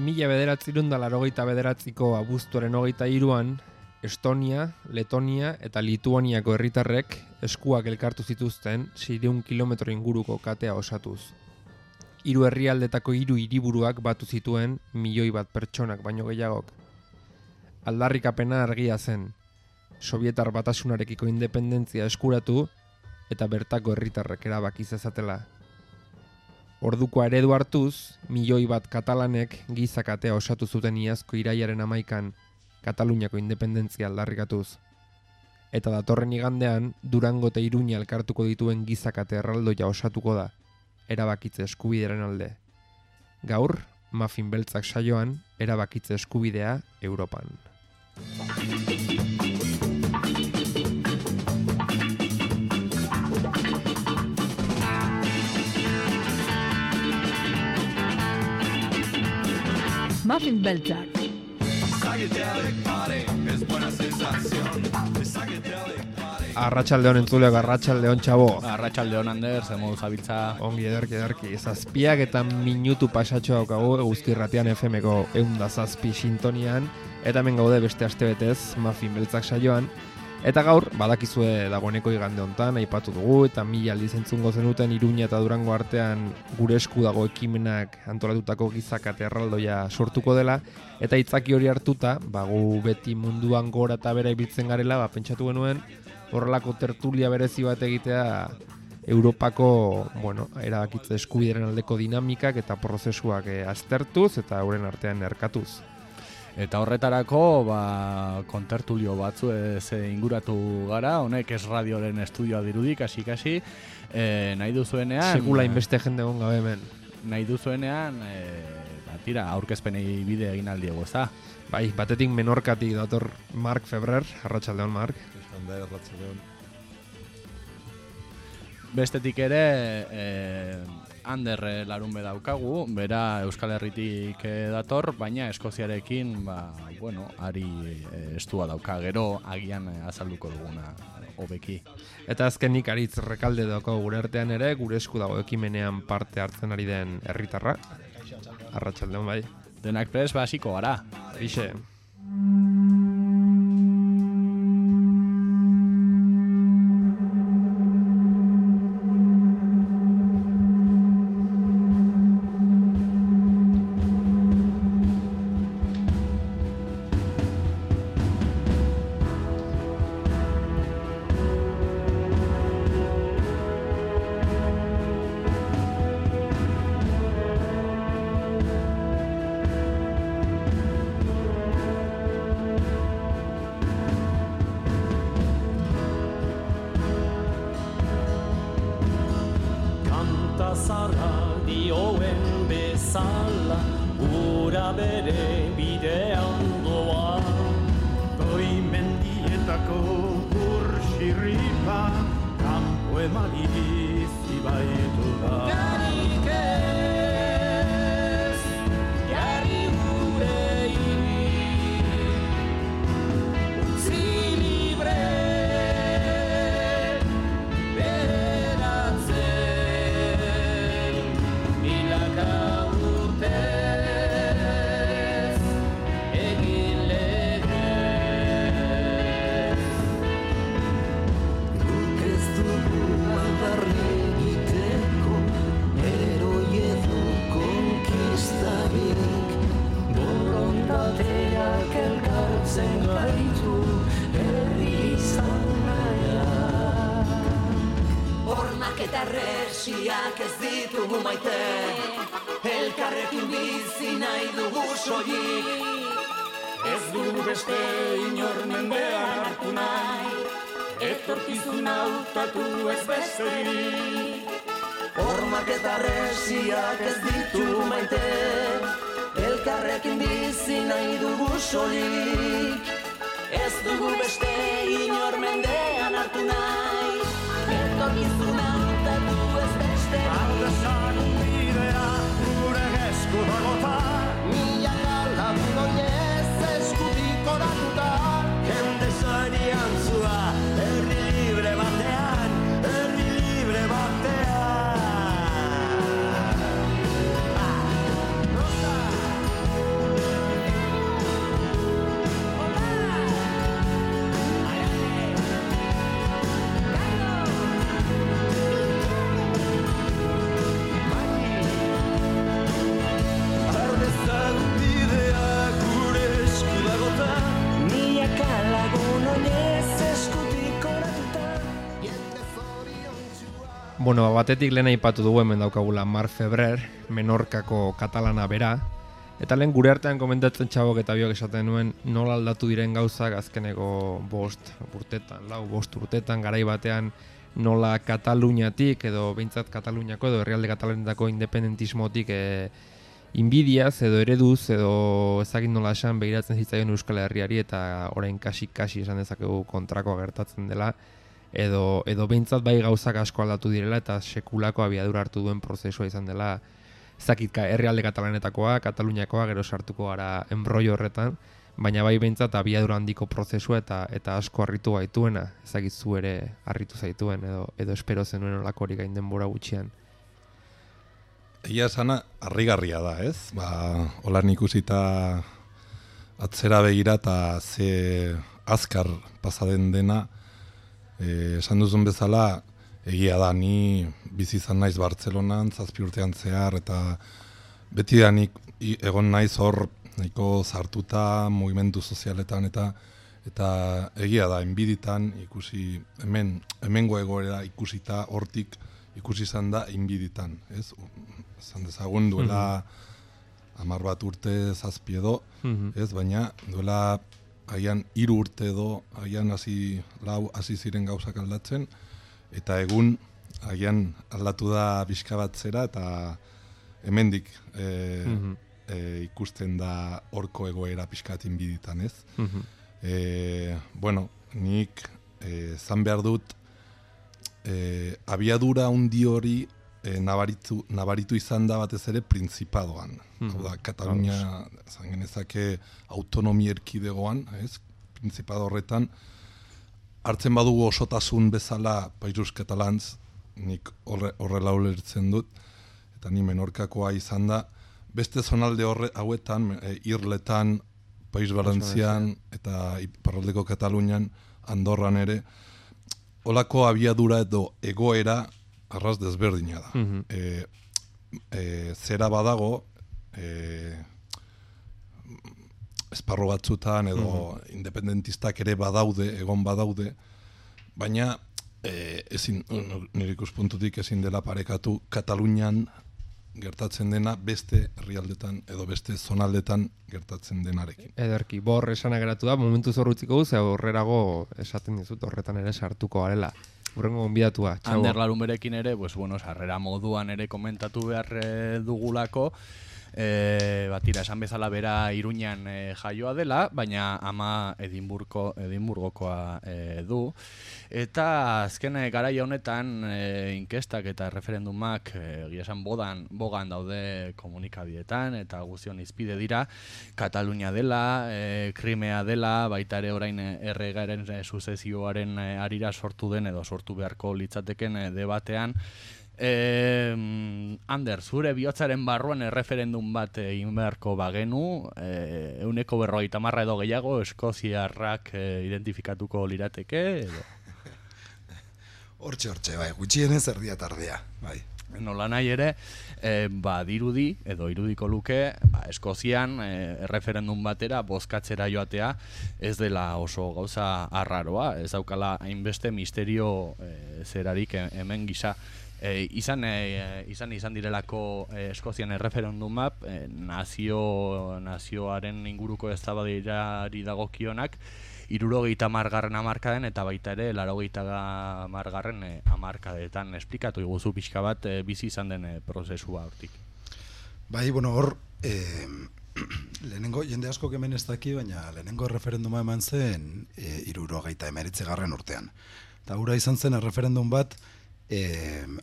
1989ko abuztuaren 23an, Estonia, Letonia eta Lituaniako herritarrek eskuak elkartu zituzten 600 kilometro inguruko katea osatuz. 3 herrialdetako 3 hiriburuak batu zituen 1.000.000 pertsonak baino gehiagok. Aldarrikapena argia zen, Sobietar Batasunarekiko independentzia eskuratu eta bertako herritarrek erabaki zezatela. Orduko eredu hartuz, 1.000.000 katalanek gizakatea osatu zuten iazko irailaren 11an Kataluniako independentzia aldarrikatuz. Eta datorren igandean, Durango eta Iruña elkartuko dituen gizakate erraldoia osatuko da, erabakitze eskubidearen alde. Gaur, Muffin Beltzak saioan, erabakitze eskubidea Europan. Muffin Beltzak. Arratsaldeon entzuleak, arratsaldeon txabo. Arratsaldeon Ander, zemoduz abiltza. Ongi ederki. 7 eta minutu pasatxo daukagu Eguzkirratian FM-ko 107 sintonian. Eta hemen gaude beste astebetez Muffin Beltzak saioan. Eta gaur, badakizue dagoeneko igande hontan, aipatu dugu, eta 1000 aldiz entzungo zenuten Iruña eta Durango artean gure esku dago ekimenak antolatutako gizakate erraldoia sortuko dela, eta hitzaki hori hartuta, gu beti munduan gora eta bera ibiltzen garela, pentsatu genuen, horrelako tertulia berezi bat egitea Europako, erabakitze eskubideren aldeko dinamikak eta prozesuak aztertuz eta euren artean erkatuz. Eta horretarako, kontertulio batzu inguratu gara, honek ez radioren estudioa dirudik, kasi, nahi duzuenean... Sekula inbeste jende egon gabe hemen. Nahi duzuenean, aurkezpenei bide egin aldiego, ez da? Bai, batetik Menorkatik dator Mark Febrer, arratsaldeon Mark. Arratsaldeon. Bestetik ere... Ander larunbe daukagu, bera Euskal Herritik dator, baina Eskoziarekin, ari estua dauka, gero agian azalduko duguna hobeki. Eta azkenik Aritz Rekalde daukagu gure artean ere, gure esku dago ekimenean parte hartzen ari den herritarra. Arratsaldeon bai. Denak prest hasiko gara. Eixe. Bueno, batetik lehen aipatu dugu hemen daukagula Mar Febrer, Menorkako katalana bera, eta lehen gure artean komentatzen txabok eta biok esaten nuen nola aldatu diren gauzak azkeneko 5 urtetan, garai batean nola Kataluniatik edo behintzat Kataluniako edo herrialde katalanetako independentismotik inbidiaz edo ereduz edo ezagik nola esan begiratzen zitzaion Euskal Herriari eta orain kasi esan dezakegu kontrakoa gertatzen dela edo behintzat bai gauzak asko aldatu direla eta sekulako abiadura hartu duen prozesua izan dela ezakit herrialde katalanetakoa, Kataluniakoa, gero sartuko gara enbrollo horretan, baina bai behintzat abiadura handiko prozesua eta asko harritu gaituena, ezakit zu ere harritu zaituen edo espero zenuen olakorik gain denbora gutxian. Egia esana, harrigarria da, ez? Holan ikusita atzera begira eta ze azkar pasaden dena, esan duzun bezala, egia da, ni bizi izan naiz Bartzelonan, 7 urtean zehar, eta beti da nik egon naiz hor nahiko sartuta mugimendu sozialetan eta egia da, enbiditan ikusi, hemengo egoera ikusita hortik ikusi izan da enbiditan, ez? Zan dezagun duela 10 urte 7 edo, ez? Baina duela haian 3 urte edo, haian hasi ziren gauzak aldatzen, eta egun haian aldatu da pixka bat zera, eta hemendik ikusten da horko egoera pixkat inbiditan, ez? Bueno, nik zan behar dut abiadura handi hori nabaritu izan da batez ere Prinzipadoan. Hau da, Katalunia zan genezake autonomi erkidegoan, ez? Printzipado horretan, hartzen badugu osotasun bezala Països Catalans, nik horrela ulertzen dut, eta ni Menorkakoa izan da, beste zonalde hauetan, Irletan, País Valentzian eta iparraldeko Katalunian, Andorran ere, holako abiadura edo egoera arras desberdina da. Zera badago, esparro batzutan edo independentistak ere egon badaude, baina nire ikuspuntutik ezin dela parekatu Katalunian gertatzen dena beste herrialdetan edo beste zonaldetan gertatzen denarekin. Ederki, bor esana geratu da, momentu zorrutziko guz, horrerago esaten dizut horretan ere sartuko garela. Urrengo gonbidatua, txabo. Ander Larunberekin ere, sarrera moduan ere komentatu behar dugulako, batira esan bezala bera Iruñan jaioa dela, baina ama Edimburgokoa du. Eta azken garai honetan inkestak eta referendumak esan bogan daude komunikabietan eta guztion izpide dira. Katalunia dela, Krimea dela, baita ere orain erregaren suzezioaren arira sortu den edo sortu beharko litzateken debatean. Ander, zure bihotzaren barruan erreferendum bat egin beharko bagenu, 50% edo gehiago eskoziarrak identifikatuko lirateke edo? Hortxe, bai, gutxienez erdia tardea, bai. Nola nahi ere, dirudi edo irudiko luke, Eskozian erreferendum batera bozkatzera joatea ez dela oso gauza arraroa, ez daukala hainbeste misterio zerarik hemen gisa. Izan direlako Eskozian erreferendumak nazioaren inguruko eztabaidari dagokionak 70. hamarkaden eta baita ere 80. hamarkadetan. Esplikatu iguzu pixka bat bizi izan den prozesua hortik. Bai, hor lehenengo jende asko hemen ez daki, baina lehenengo erreferenduma eman zen 79. urtean. Eta hura izan zen erreferendum bat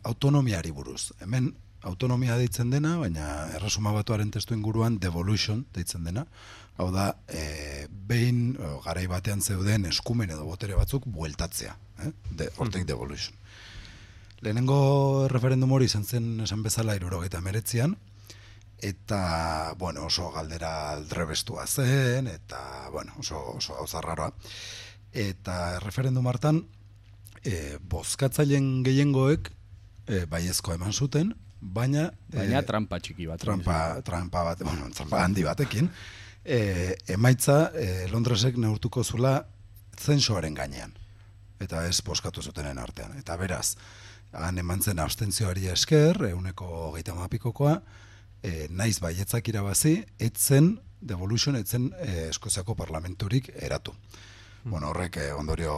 autonomiari buruz. Hemen autonomia deitzen dena, baina erresuma batuaren testu inguruan devolution deitzen dena. Hau da, behin garai batean zeuden eskumen edo botere batzuk bueltatzea. Hortik devolution. Lehenengo referendum hori izan zen esan bezala 79an, eta oso galdera aldrebestua zen, eta oso gauza raroa. Eta referendum hartan, bozkatzaileen gehiengoek baiezkoa eman zuten, baina trampa txiki bat. Trampa handi batekin. Emaitza Londresek neurtuko zula zensoaren gainean, eta ez bozkatu zutenen artean. Eta beraz, han eman zen abstentzioari esker, 30%koa, naiz baietzak irabazi, etzen devolution, etzen Eskoziako parlamenturik eratu. Bueno, horrek ondorio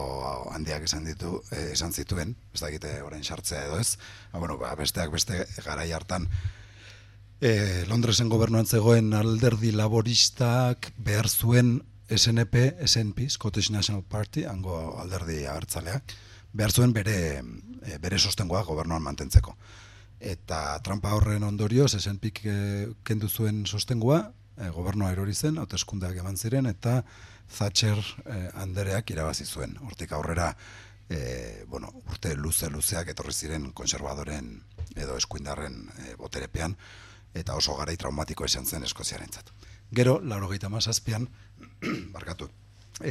handiak esan zituen, ez dakite orain sartzea edo ez, besteak beste garai hartan, Londresen gobernuan zegoen alderdi laboristak behar zuen SNP, Scottish National Party, hango alderdi abertzaleak, behar zuen bere sostengoa gobernuan mantentzeko. Eta trampa horren ondorioz, SNPk kendu zuen sostengoa, gobernua erori zen, hauteskundeak eman ziren, eta Thatcher andereak irabazi zuen. Hortik aurrera, urte luzeak etorri ziren konservadoren edo eskuindarren boterepean, eta oso garai traumatiko esan zen Eskoziarentzat. Gero, 97an, barkatu,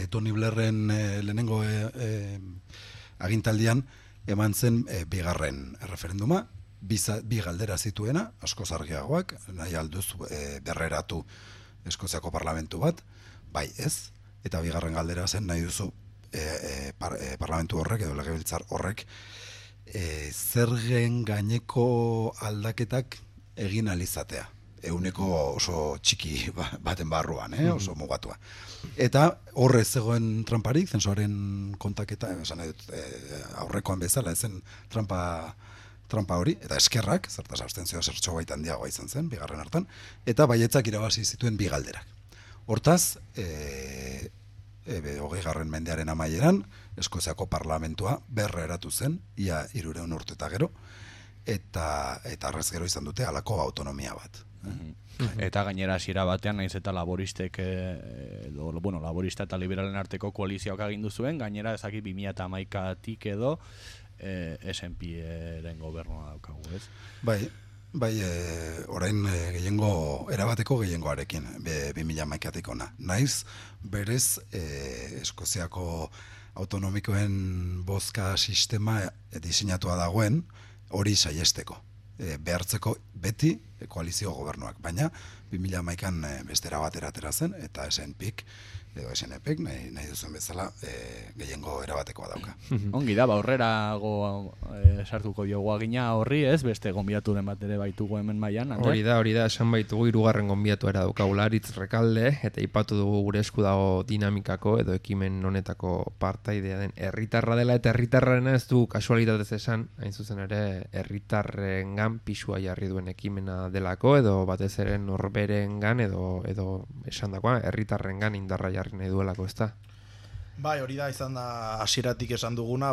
Tony Blairren lehenengo agintaldian eman zen bigarren referenduma, bi galdera zituena, asko argiagoak, nahi alduz berreratu Eskoziako parlamentu bat, bai ez, eta bigarren galdera zen nahi duzu parlamentu horrek edo legebiltzar horrek zergen gaineko aldaketak egin alizatea. Euneko oso txiki baten barruan, oso mugatua. Eta horrez zegoen tramparik, zensuaren kontaketa, esan nahi dut, aurrekoan bezala, ezen trampa hori, eta eskerrak, zertaz abstentzioa zertxo baita handiagoa izan zen, bigarren hartan, eta baietzak irabazi zituen bi galderak. Hortaz, 20. mendearen amaieran, Eskoziako parlamentua berra eratu zen, ia 300 urte eta gero, eta arrez gero izan dute halako autonomia bat. Eta gainera hasiera batean naiz eta laboristek laborista eta liberalen arteko koalizioak agindu zuen, gainera ezaki 2011tik edo SNPren gobernua daukagu, ez? Bai, orain erabateko gehiengoarekin 2011tik ona. Naiz berez Eskoziako autonomikoen bozka sistema diseinatua dagoen hori saiesteko. Behartzeko beti koalizio gobernuak, baina 2011an bestera batera atera zen, eta SNPk edo SNPk nahi duzuen bezala gehiengo erabatekoa dauka. Ongi da, aurrerago sartuko diogu agina horri, ez? Beste gonbiaturen bat ere baitugu hemen mailan. Hori da, esan baitugu 3. gonbiatu era daukagula Aritz Rekalde, eta ipatu dugu gure esku dago dinamikako edo ekimen honetako partaidea den herritarra dela, eta herritarrarena ez du kasualitatez esan, hain zuzen ere herritarrengan pisua jarri duen ekimena delako, edo batez ere norberengan edo esandakoa herritarrengan indarra jarri nahi duelako, ez da? Bai, hori da, izan da hasieratik esan duguna,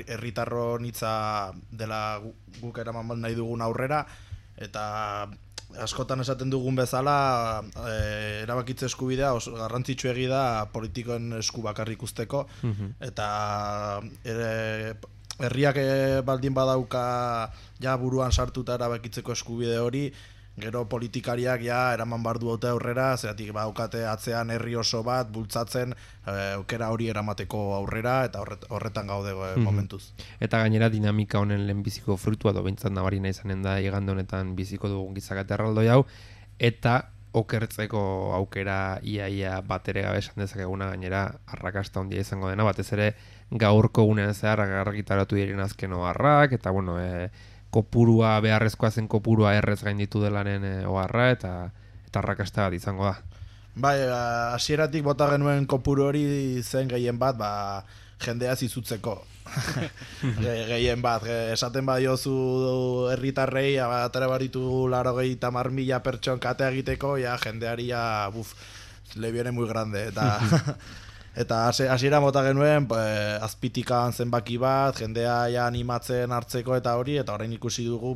herritarron hitza dela guk eraman nahi dugun aurrera, eta askotan esaten dugun bezala erabakitze eskubidea garrantzitsu egi da politikoen esku bakarrik usteko, eta herriak baldin badauka ja buruan sartuta erabakitzeko eskubide hori, gero politikariak eraman bardu haute aurrera, zeratik baukate atzean herri oso bat bultzatzen aukera hori eramateko aurrera, eta horretan gaude momentuz. Eta gainera dinamika honen lehenbiziko frutua, behintzat nabarina izanen da igande honetan biziko dugun gizakate erraldoi hau, eta okertzeko aukera ia batere gabe esan dezakeguna, gainera arrakasta handia izango dena, batez ere gaurko gunean zehar argitaratu diren azken oharrak, eta kopurua, beharrezkoa zen kopurua errez gainditu delaren oharra, eta arrakasta bat izango da. Bai, hasieratik bota genuen kopuru hori zen gehien bat, jendea zizutzeko. Gehien bat, esaten badiozu herritarrei, atera baritu 80.000 pertson katea egiteko, jendeari le viene muy grande, eta hasiera mota genuen azpitikan zenbaki bat, jendea animatzen hartzeko eta hori, eta orain ikusi dugu,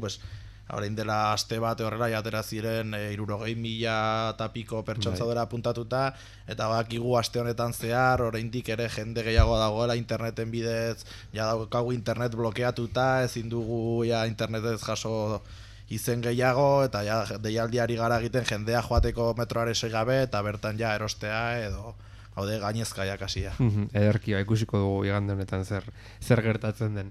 orain dela aste bat horrela atera ziren 60.000 eta piko pertsontzadora puntatuta, eta bakigu aste honetan zehar, oraindik ere jende gehiago dagoela interneten bidez, daukagu internet blokeatuta, ezin dugu internetez jaso izen gehiago, eta deialdiari gara egiten jendea joateko metroare segabe, eta bertan erostea edo haude gainezkaiak hasia. Ederki, ikusiko dugu igande honetan zer gertatzen den.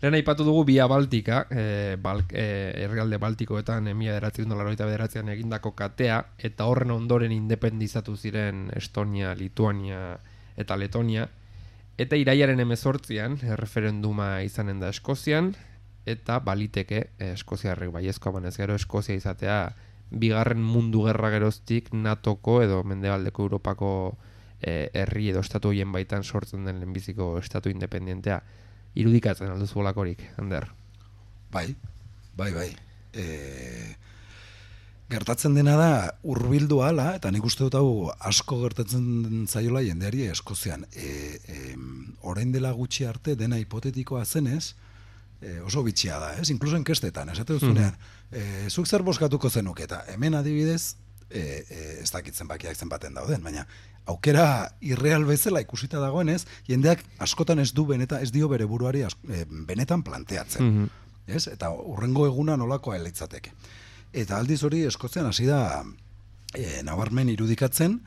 Lehen aipatu dugu Via Baltika, herrialde Baltikoetan 1989an egindako katea, eta horren ondoren independizatu ziren Estonia, Lituania eta Letonia, Eta iraiaren 18an erreferenduma izanen da Eskozian, eta baliteke eskoziarrek baiezkoa banez gero Eskozia izatea bigarren mundu gerra geroztik NATOko edo mendebaldeko Europako herri edo estatu horien baitan sortzen den lehenbiziko estatu independentea. Irudikatzen alduzu bolakorik, Ander? Bai. Gertatzen dena da hurbildu hala, eta nik uste dut hau asko gertatzen zaiola jendeari Eskozian. Orain dela gutxi arte dena hipotetikoa zenez, oso bitxia da, ez? Inkluso enkestetan, esate duzunean, zuk zer boskatuko zenuk, eta hemen adibidez, ez dakitzen bakiak zenbaten dauden, baina aukera irreal bezala ikusita dagoenez, jendeak askotan ez dio bere buruari benetan planteatzen. Ez? Eta hurrengo eguna nolakoa litzateke. Eta aldiz hori Eskozian hasi da nabarmen irudikatzen,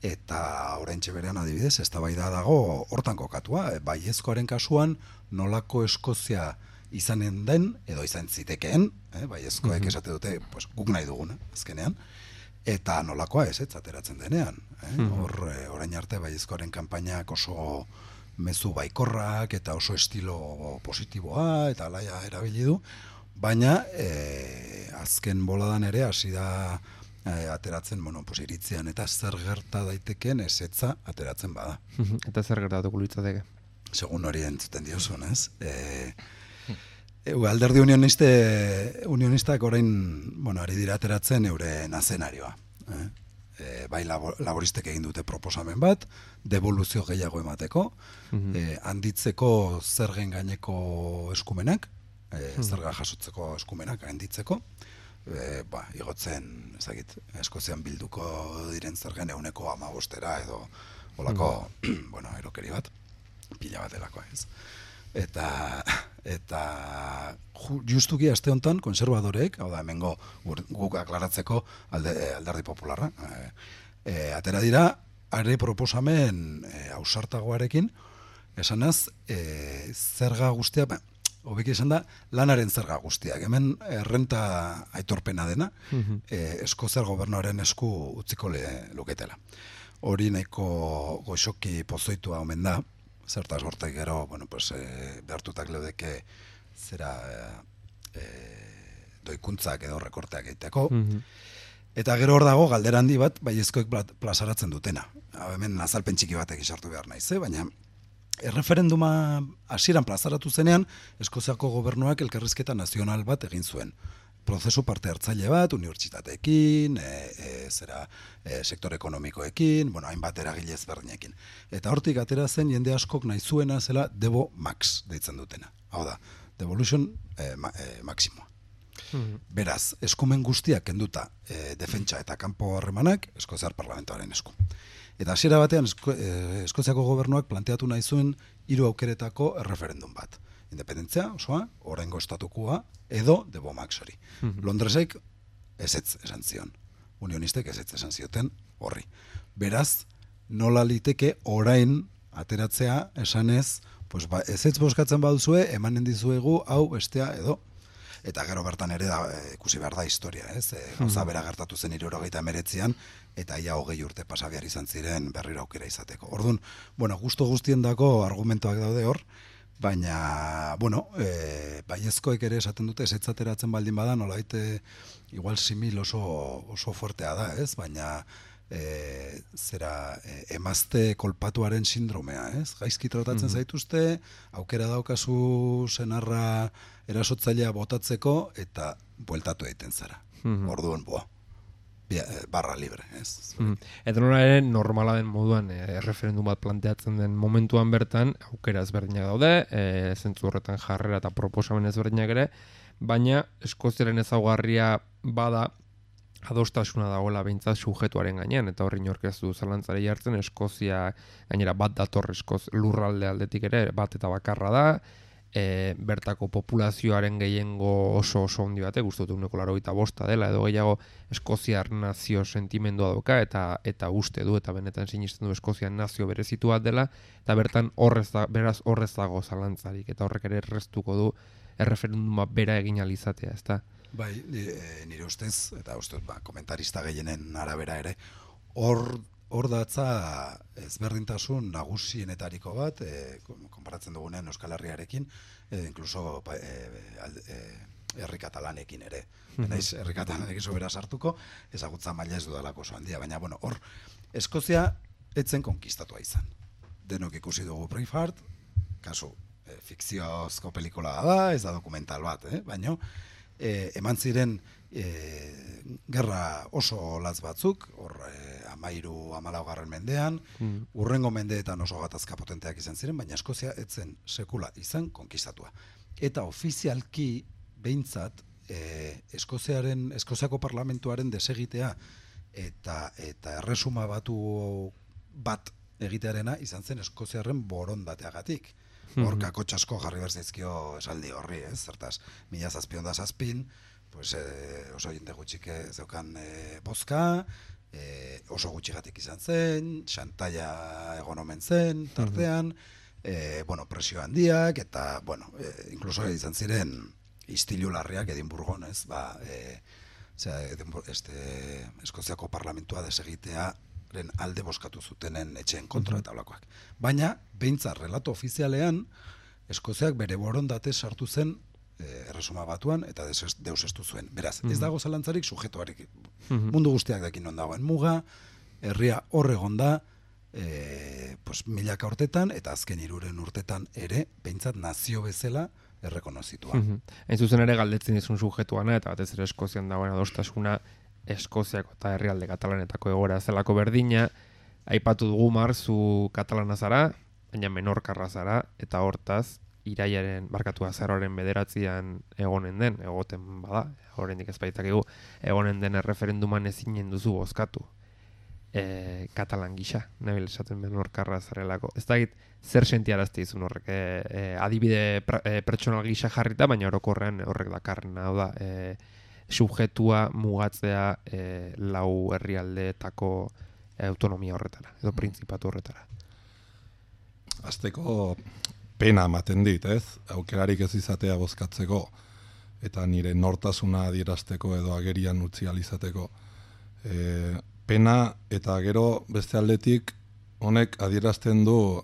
eta oraintxe berean adibidez, eztabaida dago hortan kokatua, baiezkoaren kasuan nolako Eskozia izanen den, edo izan zitekeen, baiezkoek esate dute, pues, guk nahi duguna, azkenean, eta nolakoa ez ateratzen denean. Orain arte baiezkoaren kanpainak oso mezu baikorrak, eta oso estilo positiboa, eta alaia erabili du, baina azken boladan ere hasi da ateratzen, iritzian, eta zer gerta daitekeen ezetza ateratzen bada. Eta zer gertatuko litzateke? Segun hori entzuten diozun, ez? Alderdi unionistak orain, ari dira ateratzen euren azenarioa. Bai laboristek egin dute proposamen bat, devoluzio gehiago emateko, handitzeko zergen gaineko eskumenak, zerga jasotzeko eskumenak handitzeko, igotzen, Eskozian bilduko diren zergen 15% edo olako, erokeri bat, pila bat delakoa ez. Eta justuki aste honetan konservadorek, hau da hemengo guk aklaratzeko alderdi popularra, atera dira, are proposamen ausartagoarekin, esanaz, zerga guztia, hobeki esan da, lanaren zerga guztiak. Hemen errenta aitorpena dena, Eskoziar gobernuaren esku utziko luketela. Hori nahiko goxoki pozoitua omen da, zertaz hortek gero, behartutak leudeke zera doikuntzak edo rekorteak egiteko. Eta gero hor dago galdera handi bat baiezkoek plazaratzen dutena. Hemen azalpen txiki batek sartu behar naiz, baina erreferenduma hasieran plazaratu zenean, Eskoziako gobernuak elkarrizketa nazional bat egin zuen. Prozesu parte hartzaile bat, unibertsitateekin, sektore ekonomikoekin, hainbat eragile ezberdinekin. Eta hortik atera zen jende askok nahi zuena zela Devo Max deitzen dutena. Hau da, Devolution Maximoa. Beraz, eskumen guztiak kenduta defentsa eta kanpo harremanak Eskoziar parlamentoaren esku. Eta hasiera batean Eskoziako gobernuak planteatu nahi zuen 3 aukeretako erreferendum bat. Independentzia osoa, oraingo estatukoa, edo Devo Max hori. Londresek ezetz esan zion. Unionistek ezetz esan zioten horri. Beraz, nola liteke orain ateratzea esanez, ezetz bozkatzen baduzue, emanen dizuegu hau bestea edo. Eta gero bertan ere ikusi behar da historia, ez? Gauza bera gertatu zen 1989an, eta ia 20 urte pasa behar izan ziren berriro aukera izateko. Orduan, gustu guztiendako argumentoak daude hor, baina, baiezkoek ere esaten dute, ezetz ateratzen baldin bada, nolabait igual simil oso fuertea da, ez? Baina emazte kolpatuaren sindromea, ez? Gaizki tratatzen zaituzte, aukera daukazu senarra erasotzailea botatzeko, eta bueltatu egiten zara. Orduan, barra libre, ez? Eta nola ere normala den moduan erreferendum bat planteatzen den momentuan bertan, aukera ezberdinak daude, zentzu horretan jarrera eta proposamen ezberdinak ere, baina Eskoziaren ezaugarria bada adostasuna dagoela behintzat sujetuaren gainean, eta horri inork ez du zalantzari jartzen, Eskozia gainera bat dator lurralde aldetik ere, bat eta bakarra da, bertako populazioaren gehiengo oso handi batek, guztut 85% dela, edo gehiago Eskoziar nazio sentimendua dauka, eta uste du, eta benetan sinisten du Eskoziar nazio berezitu bat dela, eta bertan beraz horrez dago zalantzarik, eta horrek ere erreztuko du erreferenduma bera egin alizatea, ezta? Bai, nire ustez, eta ustez, komentarista gehienen arabera ere, hor hor datza ezberdintasun nagusienetariko bat, konparatzen dugunean Euskal Herriarekin, inkluso herri katalanekin ere. Naiz herri katalanekin sobera sartuko, ezagutza maila ez dudalako oso handia, baina bueno, hor Eskozia etzen konkistatua izan. Denok ikusi dugu Braveheart, kasu fikziozko pelikula da, ez da dokumental bat, baina eman ziren gerra oso latz batzuk, hor 13-14 mendean, urrengo mendeetan oso gatazka potenteak izan ziren, baina Eskozia etzen sekula izan konkistatua. Eta ofizialki behintzat Eskoziako parlamentuaren desegitea eta erresuma batu bat egitearena izan zen Eskoziarren borondateagatik. Hor kakotxasko jarri berzaizkio esaldi horri, ez? Zertaz, 1707, pues, oso jende gutxik zeukan bozka, oso gutxigatik izan zen, xantaia egon omen zen, tartean, presio handiak, eta, inkluso izan ziren istilu larriak Edinburgon, ez? Eskoziako parlamentua desegitearen alde boskatu zutenen etxeen kontra eta olakoak. Baina, behintzat, relato ofizialean, Eskoziak bere borondate sartu zen erresuma batuan eta deusestu zuen. Beraz, ez dago zalantzarik sujetuarik. Mundu guztiak dakin non dagoen muga, herria hor egon da, milaka urtetan, eta azken 3 urtetan ere, behintzat nazio bezala errekonozitua. Hain zuzen ere galdetzen dizun sujetuana, eta batez ere Eskozian dagoen adostasuna, Eskoziako eta herrialde katalanetako egoera zelako berdina, aipatu dugu marzu katalana zara, baina menorkarra zara, eta hortaz, irailaren azaroaren 9 egoten bada, oraindik ez baitakigu, egonen den erreferenduman ezinen duzu bozkatu. Katalan gisa, nabil esaten menorkarra zarelako. Ez dakit, zer sentiarazte izun horrek, adibide pertsonal gisa jarrita, baina orokorrean horrek dakarren, hau da, subjetua mugatzea lau herrialdeetako autonomia horretara, edo printzipatu horretara. Azteko pena ematen dit, ez? Aukerarik ez izatea bozkatzeko, eta nire nortasuna adierazteko edo agerian utzi alizateko. Pena eta gero beste aldetik honek adierazten du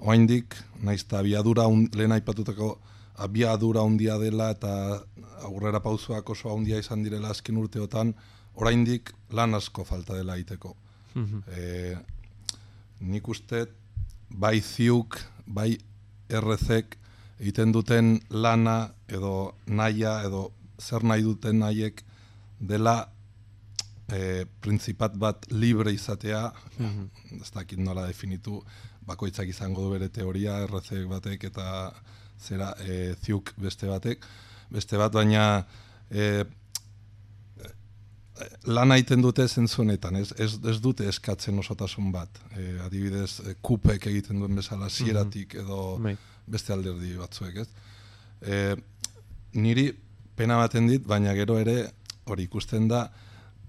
oraindik naizta lehen aipatutako abiadura handia dela eta aurrera pausoak oso handia izan direla azken urteotan, oraindik lan asko falta dela egiteko. Nik uste bai ziuk, bai errezek egiten duten lana edo nahia edo zer nahi duten nahiek dela prinzipat bat libre izatea, ez dakit nola definitu, bakoitzak izango du bere teoria, errezek batek eta zera ziuk beste bat, baina lana egiten dute zentzunetan, ez dute eskatzen osotasun bat. Adibidez, kupek egiten duen bezala zieratik edo beste alderdi batzuek, ez? Niri pena baten dit, baina gero ere hori ikusten da,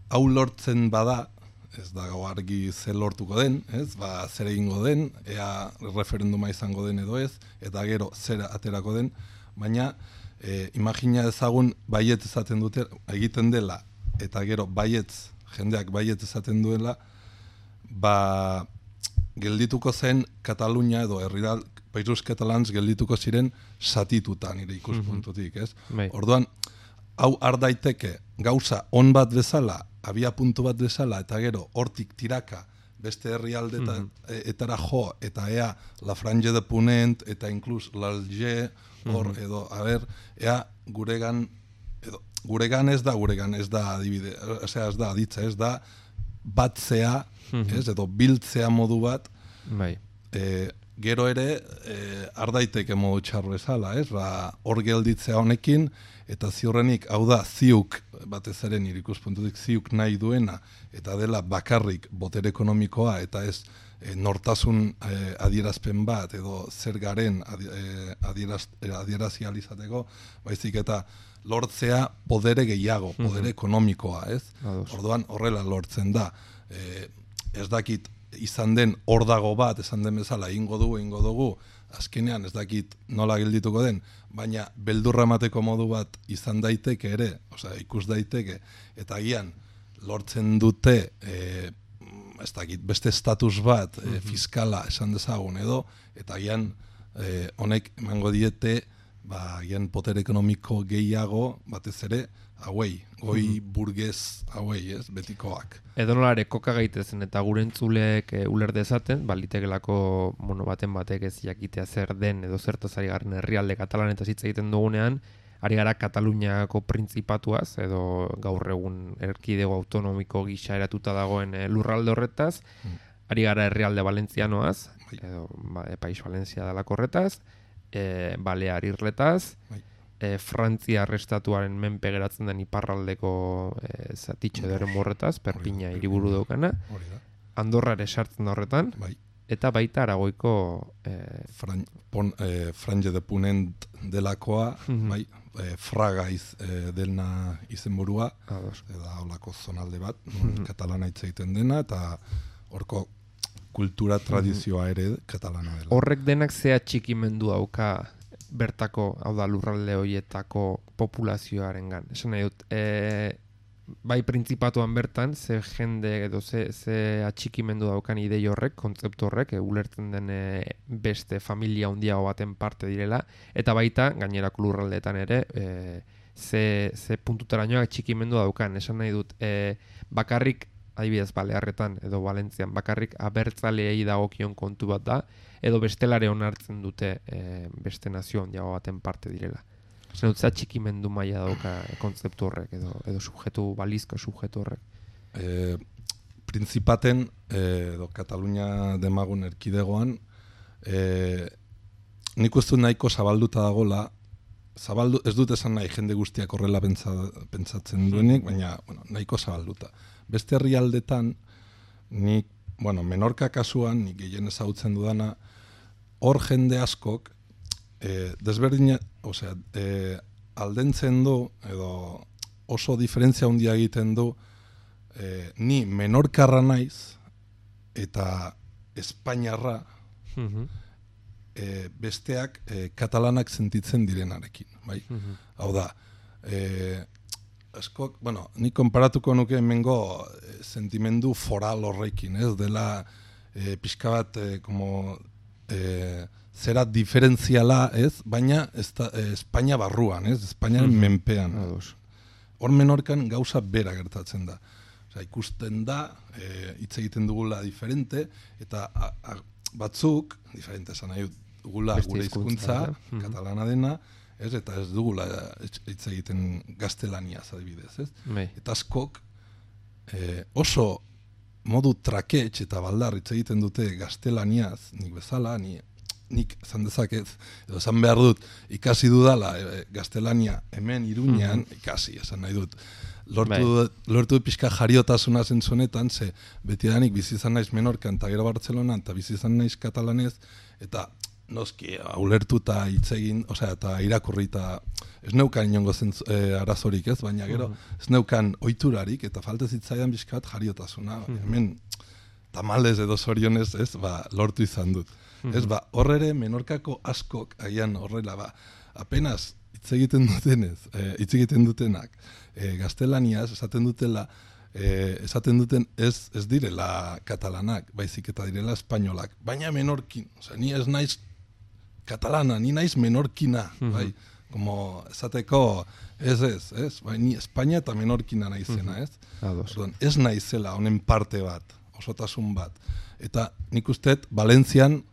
hau lortzen bada, ez da gau argi zer lortuko den, ez? Zer egingo den, ea referenduma izango den edo ez, eta gero zer aterako den, baina imagina ezagun baiet esaten dute, egiten dela, eta gero baietz, jendeak baiet esaten duela, geldituko zen Katalunia edo Països Catalans geldituko ziren satituta nire ikuspuntutik, ez? Orduan, hau ardaiteke gauza on bat bezala, abia puntu bat bezala, eta gero hortik tiraka beste herrialdeetara jo, eta ea La Frange de Ponent, eta inklus l'Alger, hor, edo, ea guregan ez da adibide, ez da aditza, ez da batzea, edo biltzea modu bat, gero ere ardaiteke modu txar bezala, hor gelditzea honekin, eta ziurrenik, hau da, ziuk, batez ere nire ikuspuntutik ziuk nahi duena, eta dela bakarrik botere ekonomikoa, eta ez nortasun adierazpen bat, edo zer garen adierazializateko, baizik eta lortzea podere gehiago, podere ekonomikoa, ez? Orduan horrela lortzen da. Ez dakit izan den hor dago bat, esan den bezala, egingo dugu, azkenean ez dakit nola geldituko den, baina beldurra emateko modu bat izan daiteke ere, ikus daiteke, eta agian lortzen dute ez dakit, beste estatus bat, fiskala esan dezagun edo, eta gian honek emango diete, gian poter ekonomiko gehiago, batez ere, hauei, goi burgez hauei, ez, betikoak. Edo nolare koka gaitezen eta gure entzuleek uler dezaten, litekelako baten batek ez jakitea zer den edo zertaz ari garen herrialde katalanetaz hitz egiten dugunean, ari gara Kataluniako printzipatuaz, edo gaur egun erkidego autonomiko gisa eratuta dagoen lurralde horretaz, ari gara herrialde valentzianoaz, edo País Valentzia dalako horretaz, Balear irletaz, Frantzia arrestatuaren menpe geratzen den iparraldeko zatitxo edo horretaz, Perpina hiriburu daukana, Andorra ere sartzen da horretan, eta baita Aragoiko Franje de Punent delakoa, Fraga delna izenburua, eta holako zonalde bat, katalana hitz egiten dena, eta horko kultura tradizioa ere katalana dela. Horrek denak zea txikimendu dauka bertako, hau da lurralde horietako populazioarengan. Esan nahi dut, bai printzipatuan bertan, ze jende edo ze atxikimendu daukan idei horrek, kontzeptu horrek, ulertzen den beste familia handiago baten parte direla, eta baita, gainerako lurraldeetan ere, ze puntutarainoak atxikimendu daukan. Esan nahi dut, bakarrik, adibidez Balearretan edo Valentzian, bakarrik abertzaleei dagokion kontu bat da, edo bestelare onartzen dute beste nazio handiago baten parte direla. Zer dut, txikimendu maila dauka kontzeptu horrek, edo subjetu, balizko subjetu horrek. Prinzipaten, edo Katalunia demagun erkidegoan, nik uste nahiko zabalduta dagola, ez dut esan nahi jende guztiak horrela pentsatzen duenik, baina nahiko zabalduta. Beste herrialdetan, nik, Menorka kasuan, nik gehien ezagutzen dudana, hor jende askok, desberdina, aldentzen du, edo oso diferentzia handia egiten du, ni Menorkarra naiz, eta Espainiarra, besteak katalanak sentitzen direnarekin, bai? Hau da, askok, nik konparatuko nuke hemengo sentimendu foral horrekin, ez? Dela pixka bat, zera diferentziala, ez? Baina Espainia barruan, ez? Espainiaren menpean. Hor Menorkan gauza bera gertatzen da. Ikusten da, hitz egiten dugula diferente, eta batzuk, diferente esan nahi dugula gure hizkuntza, katalana dena, ez, eta ez dugula hitz egiten gaztelaniaz adibidez, ez? Eta askok oso modu traketx eta baldar hitz egiten dute gaztelaniaz, nik bezala, nik esan dezakez, edo esan behar dut, ikasi dudala gaztelania hemen Iruñean, ikasi, esan nahi dut. Lortu pixka jariotasuna zentzunetan, ze betidanik bizi izan naiz Menorkan eta gero Bartzelonan, eta bizi izan naiz katalanez, eta noski, ulertuta hitz egin, eta irakurri eta ez neukan inongo arazorik ez, baina gero ez neukan ohiturarik eta falta zitzaidan bizkat jariotasuna. Hemen tamalez edo zorionez ez, lortu izan dut. Ez, hor ere Menorkako askok, agian horrela, apenas hitz egiten dutenak, gaztelaniaz esaten duten ez direla katalanak, baizik eta direla espainolak, baina menorkin, ni ez naiz katalana, ni naiz menorkina, bai, como esateko, bai, ni Espainia eta menorkina naizena, ez? Ez naizela honen parte bat, osotasun bat, eta nik usteet Valentzian,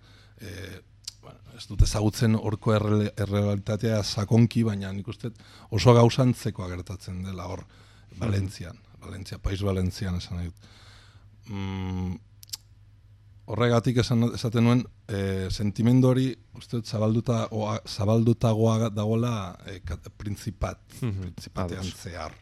ez dut ezagutzen horko errealitatea sakonki, baina nik usteet oso gauzantzekoa gertatzen dela hor Valentzian, País Valentzian esan nahi dut. Horregatik esaten nuen, sentimendu hori uste dut zabaldutagoa dagoela printzipattean zehar.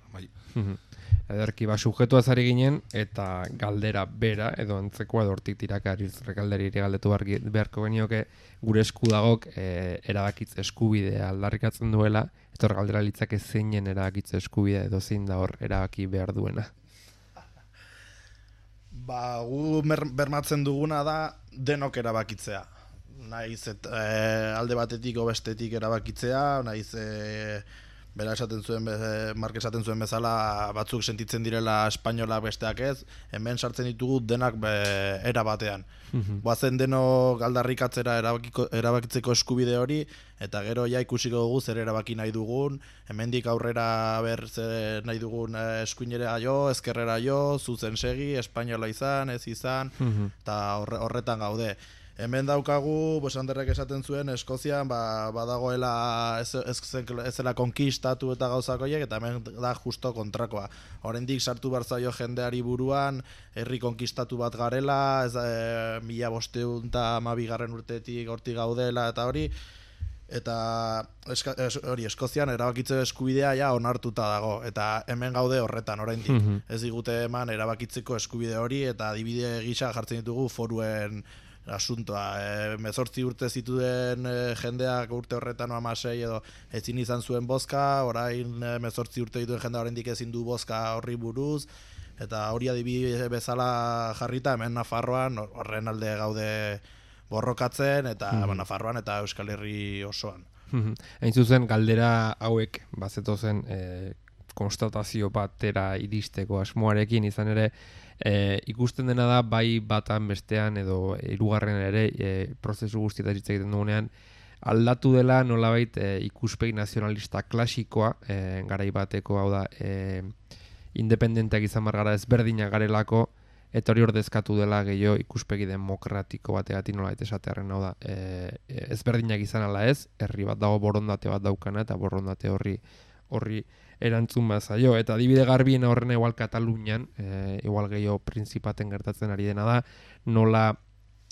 Ederki, subjetuaz ari ginen, eta galdera bera, edo antzekoa edo hortik tirakariz rekalderi galdetu beharko genioke gure eskudagok erabakitze eskubidea aldarrikatzen duela, eta hor galdera litzake zeinen erabakitze eskubidea edo zein da hor erabaki behar duena. Gu bermatzen duguna da denok erabakitzea. Naiz alde batetik o bestetik erabakitzea, naiz bera esaten zuen, Mark esaten zuen bezala, batzuk sentitzen direla espainola besteak ez, hemen sartzen ditugu denak era batean. Bazen denok aldarrikatzera erabakitzeko eskubide hori, eta gero ja ikusiko dugu zer erabaki nahi dugun, hemendik aurrera zer nahi dugun eskuinera jo, ezkerrera jo, zuzen segi, espainola izan, ez izan, eta horretan gaude. Hemen daukagu, Anderrek esaten zuen, Eskozian badagoela ez zela konkistatu eta gauzakoiek, eta hemen da justo kontrakoa. Oraindik sartu behar zaio jendeari buruan, herri konkistatu bat garela, 1512 urtetik hortik gaudela eta hori, eta Eskozian erabakitze eskubidea ja onartuta dago, eta hemen gaude horretan oraindik. Ez digute eman erabakitzeko eskubide hori, eta adibide gisa jartzen ditugu foruen asuntoa. 18 urte zituen jendeak urte horretan 16 edo ezin izan zuen bozka, orain 18 urte dituen jendea oraindik ezin du bozka horri buruz, eta hori adibide bezala jarrita hemen Nafarroan horren alde gaude borrokatzen, eta Nafarroan eta Euskal Herri osoan. Hain zuzen, galdera hauek bazetozen konstatazio batera iristeko asmoarekin, izan ere ikusten dena da bai batan bestean edo hirugarren ere prozesu guztietan hitz egiten dugunean aldatu dela nolabait ikuspegi nazionalista klasikoa, garai bateko, hau da, independenteak izan margara ezberdinak garelako, eta hori ordezkatu dela gehiago ikuspegi demokratiko bategatik nolabait esatearren, hau da, ezberdinak izan ala ez, herri bat dago borondate bat daukana, eta borondate horri erantzun bat zaio. Eta adibide garbiena horrena igual Katalunian, igual gehiago prinzipaten gertatzen ari dena da, nola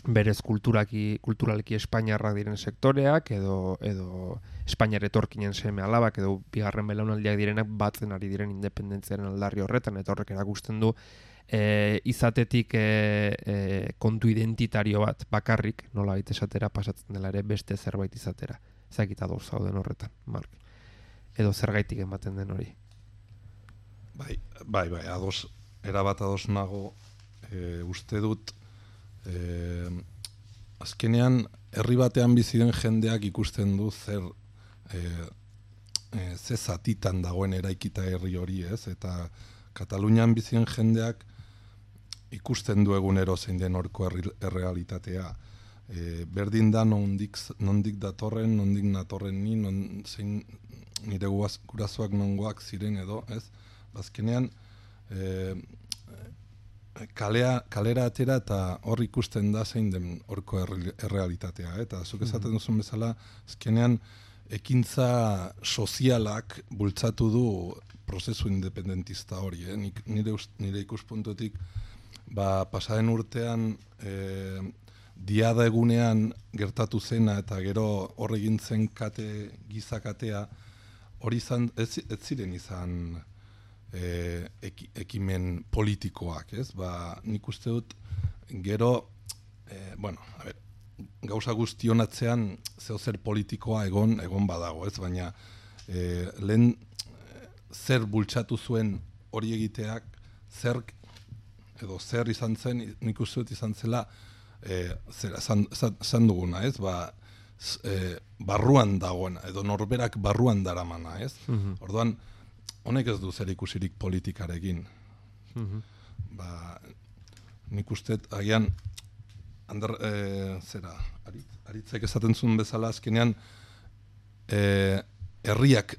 berez kulturalki espainiarrak diren sektoreak, edo Espainiar etorkinen seme alabak, edo bigarren belaunaldiak direnak batzen ari diren independentziaren aldarri horretan, eta horrek erakusten du izatetik kontu identitario bat bakarrik, nola baita esatera pasatzen dela ere beste zerbait izatera. Ezakita doz zauden horretan, Mark. Edo zergaitik ematen den hori. Bai, erabat ados nago, uste dut, azkenean herri batean bizi den jendeak ikusten du zer zatitan dagoen eraikita herri hori, ez? Eta Katalunian bizi den jendeak ikusten du egunero zein den horko errealitatea. Berdin da nondik datorren, nondik natorren ni, zein nire gurasoak nongoak ziren edo, ez? Azkenean kalera atera eta hor ikusten da zein den horko errealitatea, eta zuk esaten duzun bezala, azkenean ekintza sozialak bultzatu du prozesu independentista hori, nire ikuspuntutik pasaden urtean diada egunean gertatu zena eta gero hor egin zen gizakatea, hori ez ziren izan ekimen politikoak, ez? Nik uste dut gero, gauza guztionatzean zeozer politikoa egon badago, ez? Baina lehen zer bultzatu zuen hori egiteak, zer izan zen, nik uste dut izan zela, zan duguna, ez? Barruan dagoena, edo norberak barruan daramana, ez? Orduan, honek ez du zer ikusirik politikarekin. Nik uste, agian, Aritzek esaten zuen bezala, azkenean, herriak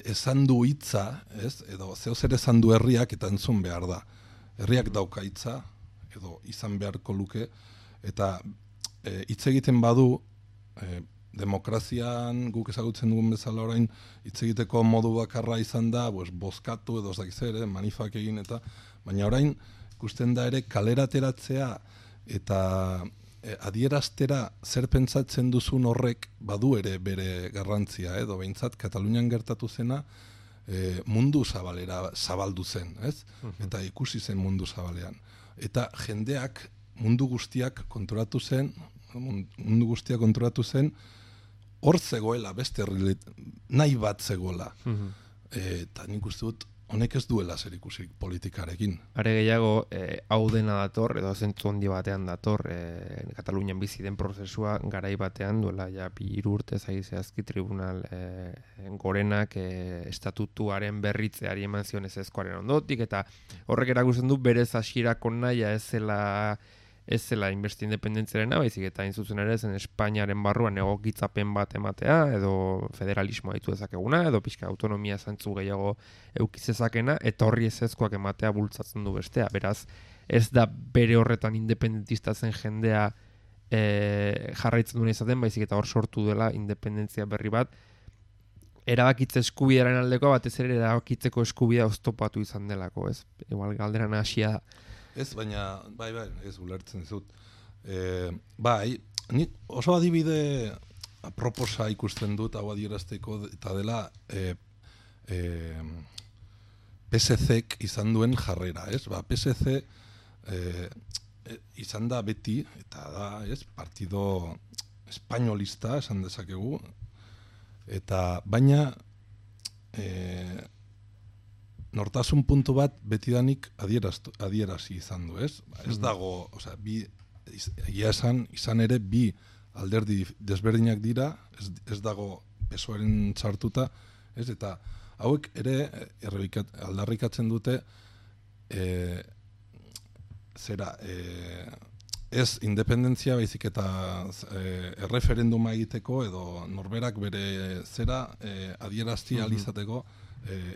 esan du hitza, ez? Edo zeozer esan du herriak eta entzun behar da. Herriak dauka hitza, edo izan beharko luke, eta hitz egiten badu, demokrazian guk ezagutzen dugun bezala orain hitz egiteko modu bakarra izan da, bozkatu edo zer, manifak egin eta, baina orain ikusten da ere kalerateratzea eta adieraztera zer pentsatzen duzun horrek badu ere bere garrantzia, edo behintzat Katalunian gertatu zena mundu zabalera zabaldu zen, ez? Eta ikusi zen mundu zabalean. Eta jendeak mundu guztiak konturatu zen, hor zegoela, beste nahi bat zegoela. Eta nik uste dut, honek ez duela zerikusirik politikarekin. Are gehiago, hau dena dator, edo zentzu handi batean dator, Katalunian bizi den prozesua garai batean duela ja 3 urte zehazki tribunal gorenak estatutuaren berritzeari eman zion ezezkoaren ondotik, eta horrek erakusten du berez hasierako nahia ez zela inbesti independentziarena, baizik eta hain zuzen ere zen Espainiaren barruan egokitzapen bat ematea, edo federalismoa ditu dezakeguna, edo pixka autonomia zantzu gehiago eukizezakena, eta horri ezezkoak ematea bultzatzen du bestea. Beraz, ez da bere horretan independentista zen jendea jarraitzen duen izaten, baizik eta hor sortu dela independentzia berri bat, erabakitze eskubidearen aldekoa, batez ere erabakitzeko eskubidea oztopatu izan delako, ez? Igual galderan hasia da. Ez, baina, bai, ez ulertzen zut. Ni oso adibide aproposa ikusten dut hau adierazteko, eta dela PSC-k izan duen jarrera, ez? PSC izan da beti, eta da, ez, partido espainolista, esan dezakegu, eta baina nortasun puntu bat betidanik adierazi izan du, ez? Ez dago, osea, egia izan ere bi alderdi desberdinak dira, ez dago PSOEren sartuta, ez? Eta hauek ere aldarrikatzen dute ez independentzia baizik eta erreferenduma egiteko edo norberak bere adierazti ahal izateko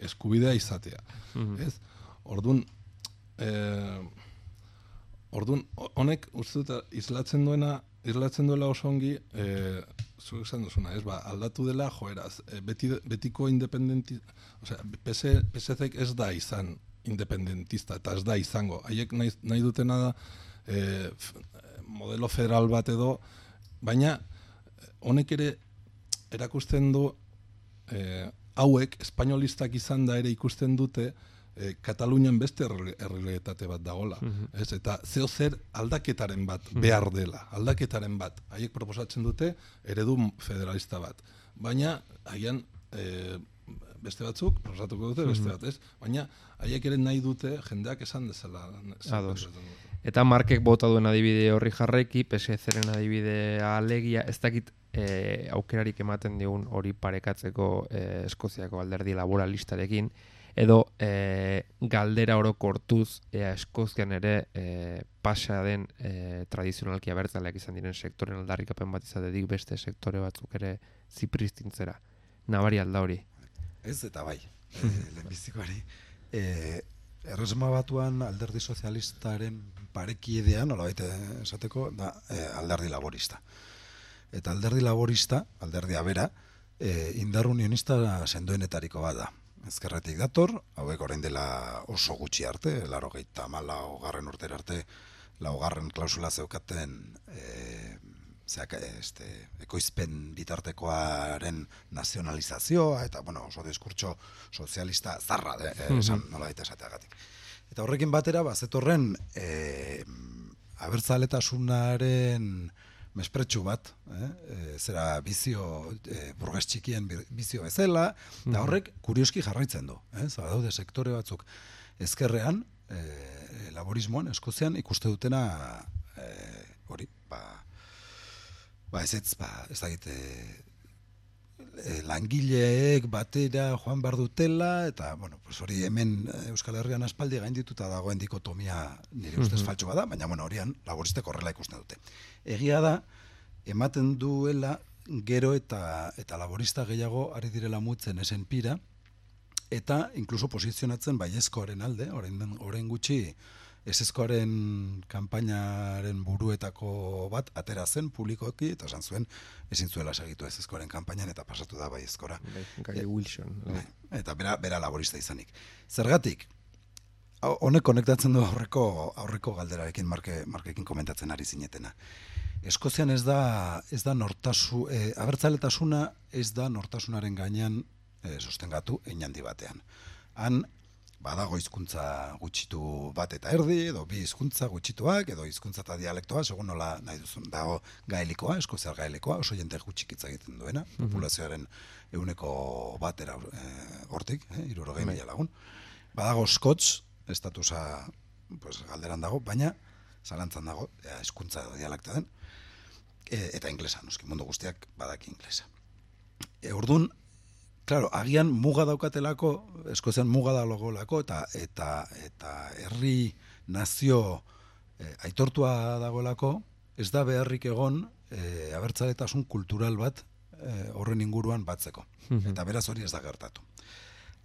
eskubidea izatea. Ez? Ordun honek uste dut islatzen duela oso ongi zuk esan duzuna, ez? Aldatu dela joeraz, betiko osea, PSC-ek ez da izan independentista eta ez da izango. Haiek nahi dutena da modelo federal bat edo, baina honek ere erakusten du hauek espainolistak izan da ere ikusten dute Katalunian beste errealitate bat dagola. Ez? Eta zeo zer aldaketaren bat behar dela, aldaketaren bat. Haiek proposatzen dute eredu federalista bat. Baina haian beste batzuk, proposatuko dute beste bat, ez? Baina haiek ere nahi dute jendeak esan dezala. Eta Markek bota duen adibide horri jarraiki, PSC-ren adibidea alegia, ez dakit aukerarik ematen digun hori parekatzeko Eskoziako alderdi laboralistarekin, edo galdera orokortuz Eskozian ere pasa den tradizionalki abertzaleak izan diren sektoren aldarrikapen bat izatetik beste sektore batzuk ere zipristintzera. Nabari alda hori. Ez eta bai, lehenbizikoari. Erresuma Batuan alderdi sozialistaren parekidea, nolabait esateko, da alderdi laborista. Eta alderdi laborista, alderdia bera, indar unionista sendoenetariko bat da. Ezkerretik dator, hauek orain dela oso gutxi arte, 94. urtera arte, 4. klausula zeukaten ekoizpen bitartekoaren nazionalizazioa, eta oso diskurtso sozialista zarra, esan nolabait esateagatik. Eta horrekin batera, zetorren abertzaletasunaren mespretxu bat, zera bizio, burges txikien bizio bezala, eta horrek kurioski jarraitzen du. Daude sektore batzuk ezkerrean, laborismoan, Eskozian, ikuste dutena hori, ez dakit, langileek batera joan behar dutela, eta, hori hemen Euskal Herrian aspaldi gaindituta dagoen dikotomia nire ustez faltsu bada, baina, horian laboristek horrela ikusten dute. Egia da, ematen duela gero eta laborista gehiago ari direla mutzen esen pira, eta inkluso posizionatzen baiezkoaren alde, orain gutxi, ezezkoaren kanpainaren buruetako bat atera zen publikoki, eta esan zuen ezin zuela segitu ezezkoaren kanpainan eta pasatu da baiezkora. Gary Wilson. Eta bera laborista izanik. Zergatik, honek konektatzen du aurreko galderarekin Markekin komentatzen ari zinetena. Eskozian ez da abertzaletasuna ez da nortasunaren gainean sostengatu handi batean. Han badago hizkuntza gutxitu bat eta erdi, edo bi hizkuntza gutxituak, edo hizkuntza eta dialektoa, segun nola nahi duzun. Dago gaelikoa, eskoziar gaelikoa, oso jente gutxik hitz egiten duena, populazioaren 1% hortik, 60.000 lagun. Badago Scots, estatusa pues, galderan dago, baina zalantzan dago, hizkuntza edo dialekta den, eta inglesa, noski mundu guztiak badaki inglesa. Ordun, claro, agian muga daukatelako, Eskozian muga dagoelako, eta herri nazio aitortua dagoelako, ez da beharrik egon abertzaletasun kultural bat horren inguruan batzeko. Eta beraz hori ez da gertatu.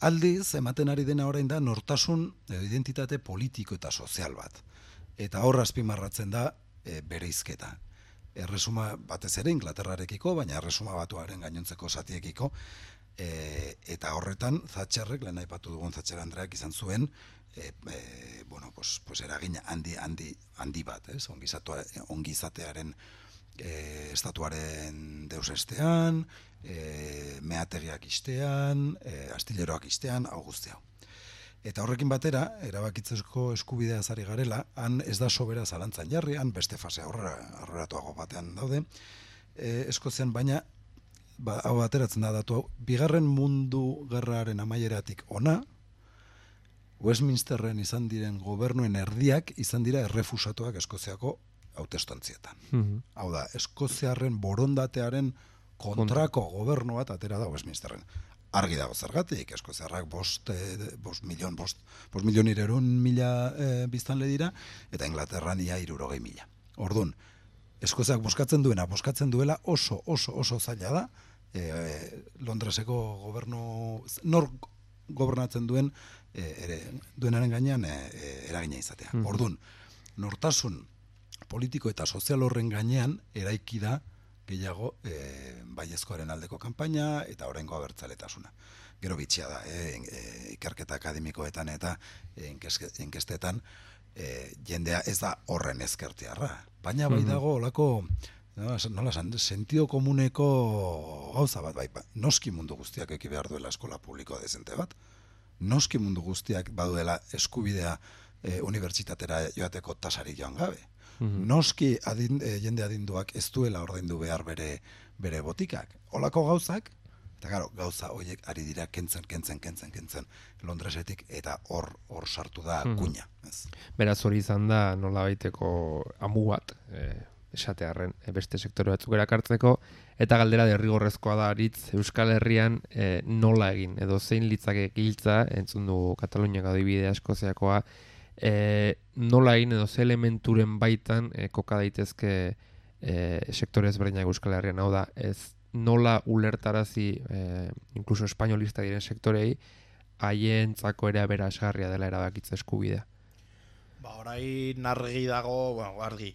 Aldiz, ematen ari dena orain da nortasun identitate politiko eta sozial bat. Eta hor azpimarratzen da bereizketa. Erresuma batez ere Inglaterrarekiko, baina erresuma batuaren gainontzeko zatiekiko, eta horretan Thatcherrek, lehen aipatu dugun Thatcher Andreak izan zuen, bueno, pues eragin handi bat, ez? Ongizatearen estatuaren deusestean, meategiak istean, astilleroak istean, hau guzti hau. Eta horrekin batera, erabakitzeko eskubidea zari garela, han ez da sobera zalantzan jarri, han beste fase aurreratuago batean daude, Eskozian, baina hau ateratzen da datu hau, bigarren mundu gerraren amaieratik ona, Westminsterren izan diren gobernuen erdiak izan dira errefusatuak Eskoziako hautestontzietan. Hau da, Eskoziarren borondatearen kontrako gobernu bat atera da Westminsterren. Argi dago zergatik, Eskoziarrak 5.200.000 biztanle dira, eta Inglaterran ia 60.000. Orduan, Eskoziak boskatzen duela oso zaila da, Londreseko gobernu, nor gobernatzen duenaren gainean eragina izatea. Orduan, nortasun politiko eta sozial horren gainean eraiki da gehiago baiezkoaren aldeko kanpaina eta oraingo abertzaletasuna. Gero bitxia da, ikerketa akademikoetan eta inkestetan jendea ez da horren ezkertiarra. Baina bai dago olako, nola esan, sentido komuneko gauza bat, bai, noski mundu guztiak eki behar duela eskola publiko dezente bat, noski mundu guztiak baduela eskubidea unibertsitatera joateko tasari joan gabe. Noski jende adinduak ez duela ordaindu behar bere botikak. Olako gauzak, eta gero, gauza horiek ari dira kentzen Londresetik, eta hor sartu da kuña. Beraz hori izan da nola baiteko amu bat, esatearren beste sektore batzuk erakartzeko, eta galdera derrigorrezkoa da aritz Euskal Herrian nola egin, edo zein litzake giltza, entzun du Kataluniak adibidea Eskoziakoa, nola egin edo ze elementuren baitan koka daitezke sektore ezberdinak Euskal Herrian, hau da, ez nola ulertarazi inkluso espainolista diren sektorei haientzako ere aberasgarria dela erabakitze eskubidea. Orain argi dago, argi,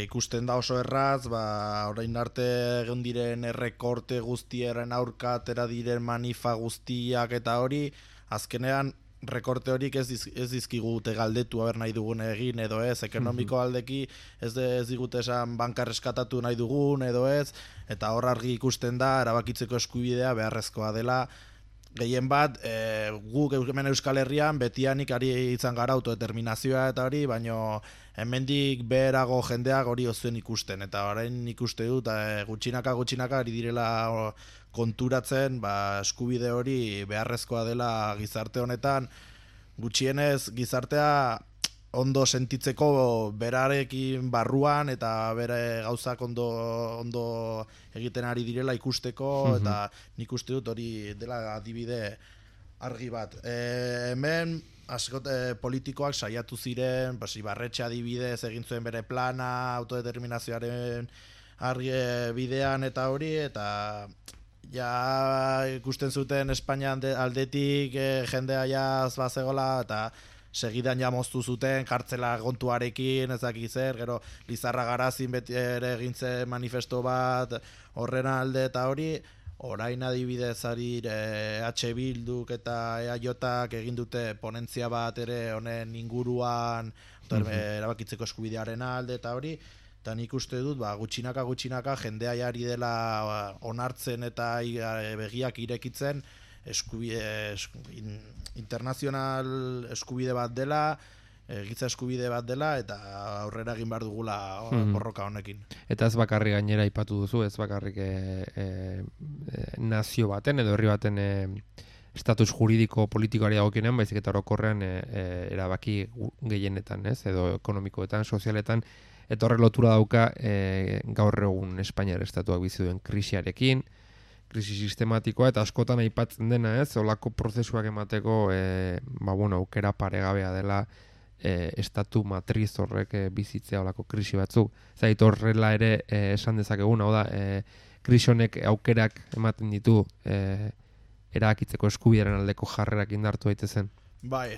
ikusten da oso erraz, orain arte egon diren errekorte guztiaren aurka atera diren manifa guztiak eta hori, azkenean rekorte horik ez dizkigute galdetu haber nahi dugun egin edo ez, ekonomiko aldeki ez digute esan banka reskatatu nahi dugun edo ez, eta hor argi ikusten da erabakitzeko eskubidea beharrezkoa dela. Gehien bat, guk hemen Euskal Herrian betianik ari izan gara autodeterminazioa eta hori, baino hemendik beherago jendeak hori ozuen ikusten, eta orain ikuste dut gutxinaka ari direla konturatzen, eskubide hori beharrezkoa dela gizarte honetan, gutxienez gizartea ondo sentitzeko berarekin barruan eta bere gauzak ondo egiten ari direla ikusteko, eta nik uste dut hori dela adibide argi bat. Hemen politikoak saiatu ziren, Ibarretxe adibidez egin zuen bere plana, autodeterminazioaren argi bidean eta hori, eta ja ikusten zuten Espainian aldetik jendea jaz bazegola, eta segidan ja moztu zuten kartzela gontuarekin, ez dakit zer, gero Lizarra Garazin beti ere egintzen manifesto bat horren alde eta hori, orain adibidez ari H. Bilduk eta EAJak egin dute ponentzia bat ere honen inguruan, erabakitzeko eskubidearen alde eta hori, eta nik uste dut gutxinaka jendea jari dela onartzen eta begiak irekitzen internazional eskubide bat dela, giza eskubide bat dela, eta aurrera egin behar dugula borroka honekin. Eta ez bakarrik gainera aipatu duzu, ez bakarrik nazio baten edo herri baten estatus juridiko politikoari dagokienean, baizik eta orokorrean erabaki gehienetan, ez? Edo ekonomikoetan, sozialetan, eta horre lotura dauka gaur egun Espainiar estatuak bizi duen krisiarekin, krisi sistematikoa, eta askotan aipatzen dena, ez? Olako prozesuak emateko aukera paregabea dela estatu matriz horrek bizitzea olako krisi batzuk. Zait horrela ere esan dezakegun, hau da, krisi honek aukerak ematen ditu erabakitzeko eskubidearen aldeko jarrerak indartu daitezen. Bai,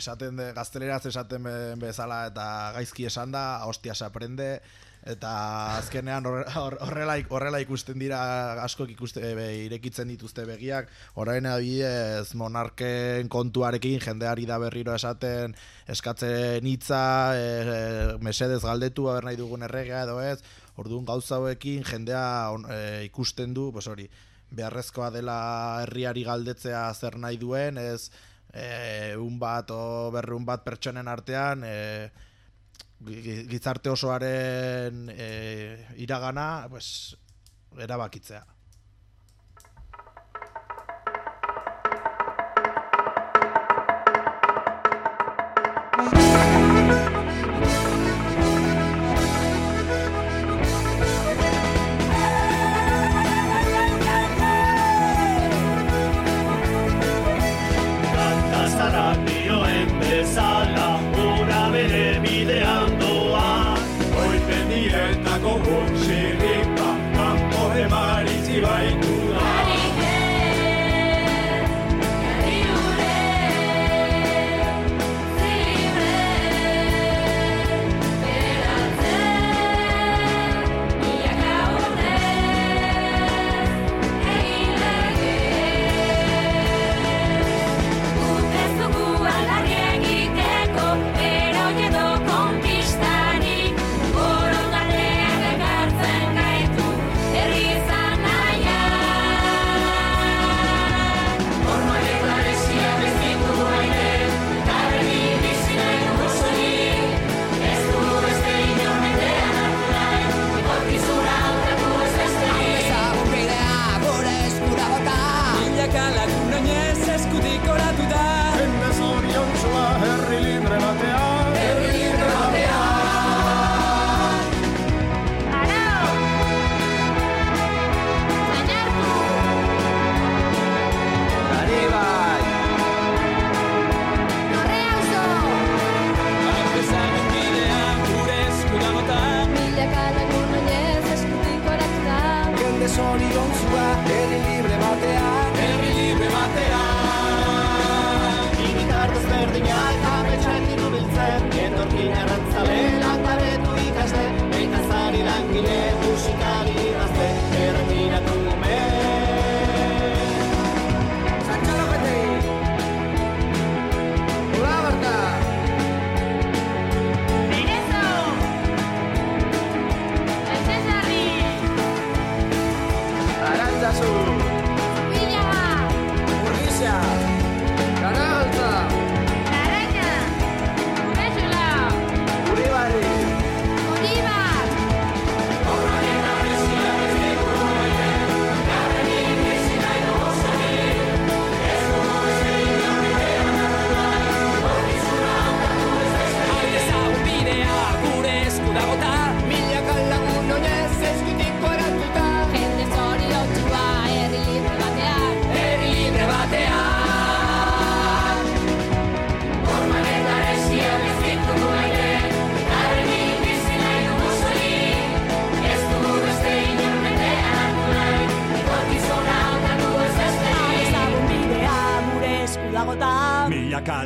gazteleraz esaten bezala eta gaizki esan da, hostia se aprende, eta azkenean horrela ikusten dira, askok irekitzen dituzte begiak. Orain adibidez monarken kontuarekin jendeari da berriro esaten, eskatzen hitza, mesedez galdetu aber nahi dugun erregea edo ez. Orduan gauza hauekin jendea ikusten du, beharrezkoa dela herriari galdetzea zer nahi duen, ez bat o berrehun bat pertsonen artean gizarte osoaren iragana erabakitzea.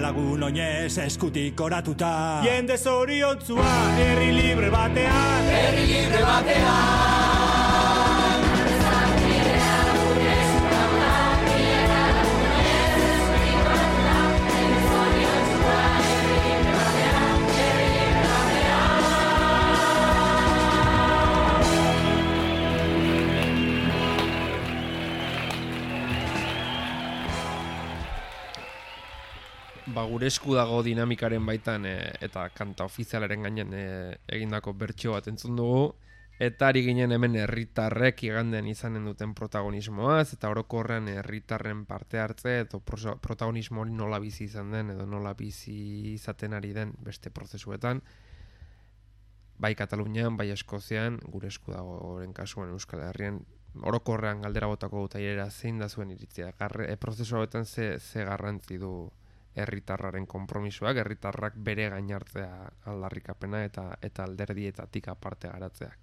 Lagun oinez eskutik oratuta, jende zoriontzua herri libre batean, herri libre batean. Gure esku dago dinamikaren baitan eta kanta ofizialaren gainen egindako bertsio bat entzun dugu. Eta ari ginen hemen herritarrek iganden izanen duten protagonismoaz, eta orokorrean herritarren parte hartze, eta protagonismo hori nola bizi izan den, edo nola bizi izaten ari den beste prozesuetan, bai Katalunian, bai Eskozian, gure esku dago oren kasuan Euskal Herrian, orokorrean galdera botako dut airera zein da zuen iritzia. Prozesu hauetan ze garrantzi du herritarraren konpromisoak, herritarrak bere gainartzea aldarrikapena eta alderdietatik aparte garatzeak.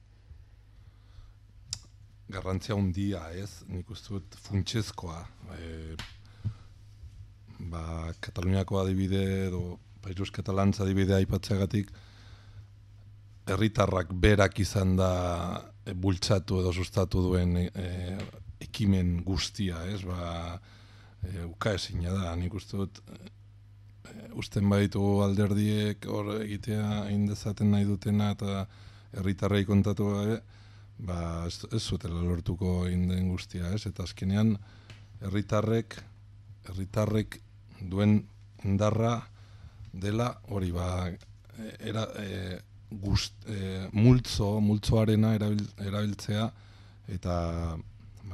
Garrantzia handia, ez? Nik uste dut funtsezkoa. Kataluniako adibide edo Països Catalans adibidea aipatzeagatik herritarrak berak izan da bultzatu edo sustatu duen ekimen guztia, ez? Ukaezina da, nik uste dut usten baditu alderdiek hor egitea indezaten nahi dutena eta herritarrei kontatu gabe, ez zutela lortuko inden guztia, ez? Eta azkenean herritarrek duen indarra dela hori multzoarena erabiltzea eta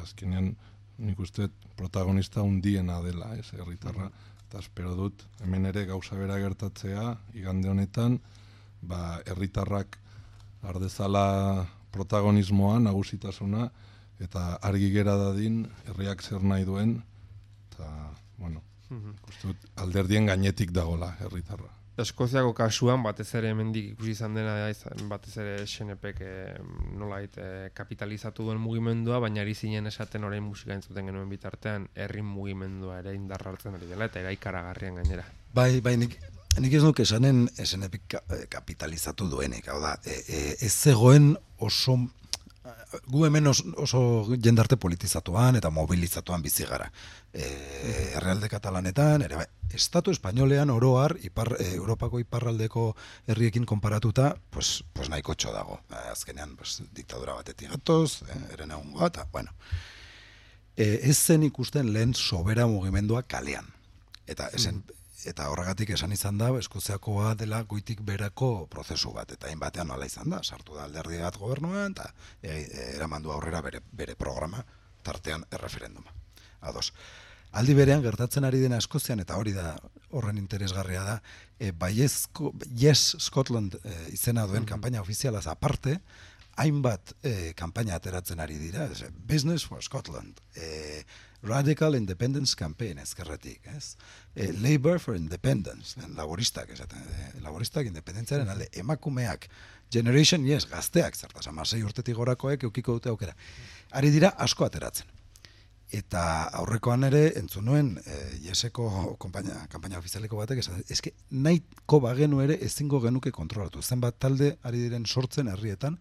azkenean nik uste protagonista hundiena dela, ez? Herritarra. Eta espero dut hemen ere gauza bera gertatzea igande honetan, herritarrak ardezala protagonismoa, nagusitasuna, eta argi gera dadin, herriak zer nahi duen, eta, ikustu dut, alderdien gainetik dagola herritarra. Eskoziako kasuan, batez ere hemendik ikusi izan dena, batez ere SNPk nolait kapitalizatu duen mugimendua, baina ari zinen esaten orain musika entzuten genuen bitartean, herri mugimendua ere indarra hartzen ari dela, eta eraikaragarrian gainera. Bai, nik ez nuke esanen SNPk kapitalizatu duenik, hau da, ez zegoen oso, gu hemen oso jendarte politizatuan eta mobilizatuan bizi gara. Herrialde katalanetan, ere bai, Estatu Espainolean oroar, Europako iparraldeko herriekin konparatuta, pues nahiko txo dago. Azkenean, diktadura batetik gatoz, eren egun eta, bueno. Ez zen ikusten lehen sobera mugimendua kalean. Eta horregatik esan izan da, Eskoziakoa dela goitik berako prozesu bat, eta hainbatean nola izan da, sartu da alderdi bat gobernuan, eta eramandu aurrera bere programa, tartean erreferenduma. Ados. Aldi berean gertatzen ari dena Eskozian, eta hori da horren interesgarria da, Yes Scotland izena duen kanpaina ofizialaz aparte, hainbat kanpaina ateratzen ari dira, Business for Scotland, Radical Independence Campaign ezkerretik, ez? Labour for Independence, laboristak independentziaren alde, emakumeak, Generation Yes, gazteak, zertaz, 16 urtetik gorakoek eukiko dute aukera. Ari dira asko ateratzen. Eta aurrekoan ere, entzun nuen, Yeseko kanpaina ofizialeko batek, eske nahiko bagenu ere ezingo genuke kontrolatu. Zenbat talde ari diren sortzen herrietan,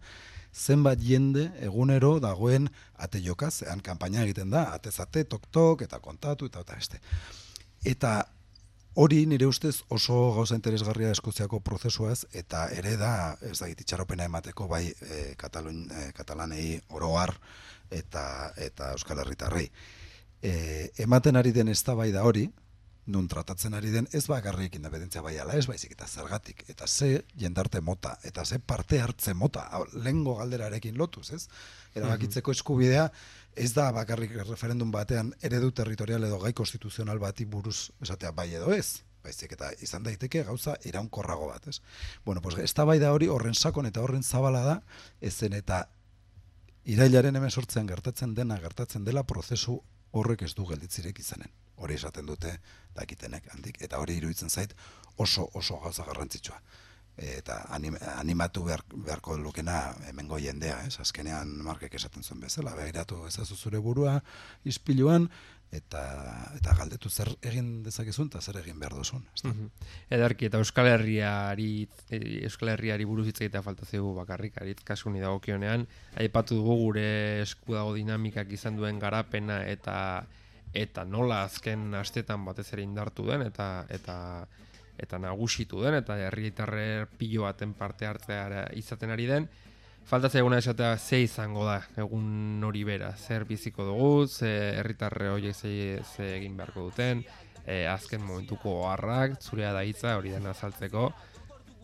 zenbat jende egunero dagoen ate jokaz, zean kanpaina egiten da, atezate, tok-tok, eta kontatu, eta beste. Eta hori nire ustez oso gauza interesgarria Eskoziako prozesuaz, eta ere da, ez da itxaropena emateko bai katalanei oroar, eta Euskal Herritarrei. Ematen ari den eztabaida hori, nun tratatzen ari den ez bakarrik independentzia bai ala ez baizik eta zergatik, eta ze jendarte mota, eta ze parte hartze mota, lehengo galderarekin lotuz, ez? Erabakitzeko eskubidea ez da bakarrik referendum batean eredu territorial edo gai konstituzional bati buruz esatea bai edo ez, baizik eta izan daiteke gauza iraunkorrago bat, ez? Bueno, pues eztabaida hori horren sakon eta horren zabala da, ezen eta irailaren 18 gertatzen dela prozesu horrek ez du gelditzirik izanen. Hori esaten dute dakitenek handik, eta hori iruditzen zait oso gauza garrantzitsua. Eta animatu beharko lukena hemengo jendea, ez? Azkenean Markek esaten zuen bezala, begiratu ezazu zure burua ispiluan, eta galdetu zer egin dezakezun eta zer egin behar duzun. Edarki, eta Euskal Herriari buruz hitz egitea falta zaigu bakarrik, arit kasuni dagokionean, aipatu dugu gure esku dago dinamikak izan duen garapena eta nola azken astetan batez ere indartu den eta nagusitu den eta herritarrer pilo baten parte hartzea izaten ari den. Falta zaiguna esatea ze izango da egun hori bera, zer biziko dugu, ze herritarre horiek ze egin beharko duten, azken momentuko oharrak, zurea da hitza hori dena azaltzeko,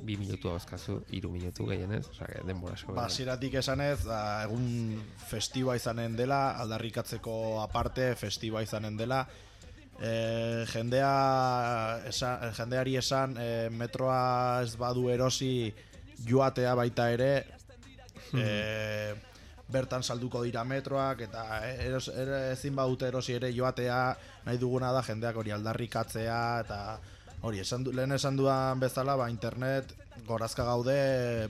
2 minutu dauzkazu, 3 minutu gehienez, denbora asko. Hasieratik esanez, egun festiba izanen dela, aldarrikatzeko aparte festiba izanen dela. Jendeari esan metroa ez badu erosi joatea baita ere, bertan salduko dira metroak, eta ezin badute erosi ere joatea, nahi duguna da jendeak hori aldarrikatzea, eta hori, lehen esan dudan bezala, internet gorazka gaude,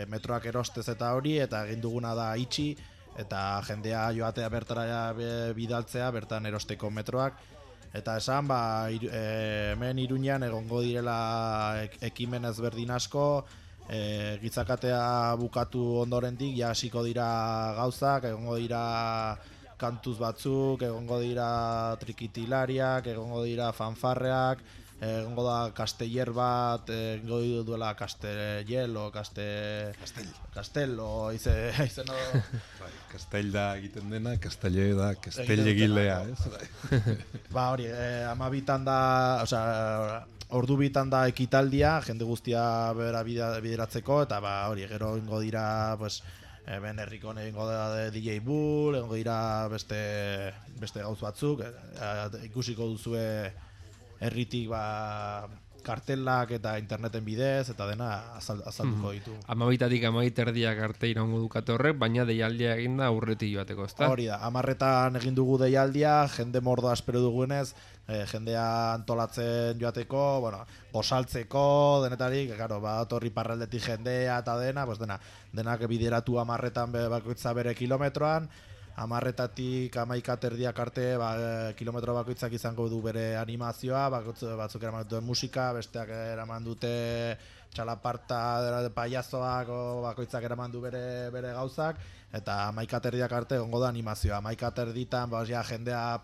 metroak erostez eta hori, eta egin duguna da itxi, eta jendea joatea bertara bidaltzea, bertan erosteko metroak, eta esan, hemen Iruñan egongo direla ekimen ezberdin asko, gitzakatea bukatu ondorendik, ja hasiko dira gauzak, egongo dira kantuz batzuk, egongo dira trikitilariak, egongo dira fanfarreak, egongo da kasteller bat, egongo duela kastellelo, kastello, izeno... Kastell da egiten dena, kasteller da, kastell egilea, ez? Hori, 12 da, ordu bitan da ekitaldia, jende guztia bera bideratzeko, eta hori, gero ingo dira, ben herrikon egingo da DJ Bull, egingo dira beste gauz batzuk, ikusiko duzue herritik kartelak eta interneten bidez, eta dena azalduko ditu. 12-tik 12:30 arte iraungo dukate horrek, baina deialdia egin da aurretik joateko, ezta? Hori da, 10:00 egin dugu deialdia, jende mordoa espero dugunez, jendea antolatzen joateko, bosaltzeko, denetarik, torri parraldetik jendea eta denak bideratu 10:00 bakoitza bere kilometroan, 10:00-tik 11:30 arte kilometro bakoitzak izango du bere animazioa, batzuk eraman dute musika, besteak eraman dute txalaparta paiazoak, bakoitzak eraman du bere gauzak, eta 11:30 arte egongo da animazioa. 11:30 jendea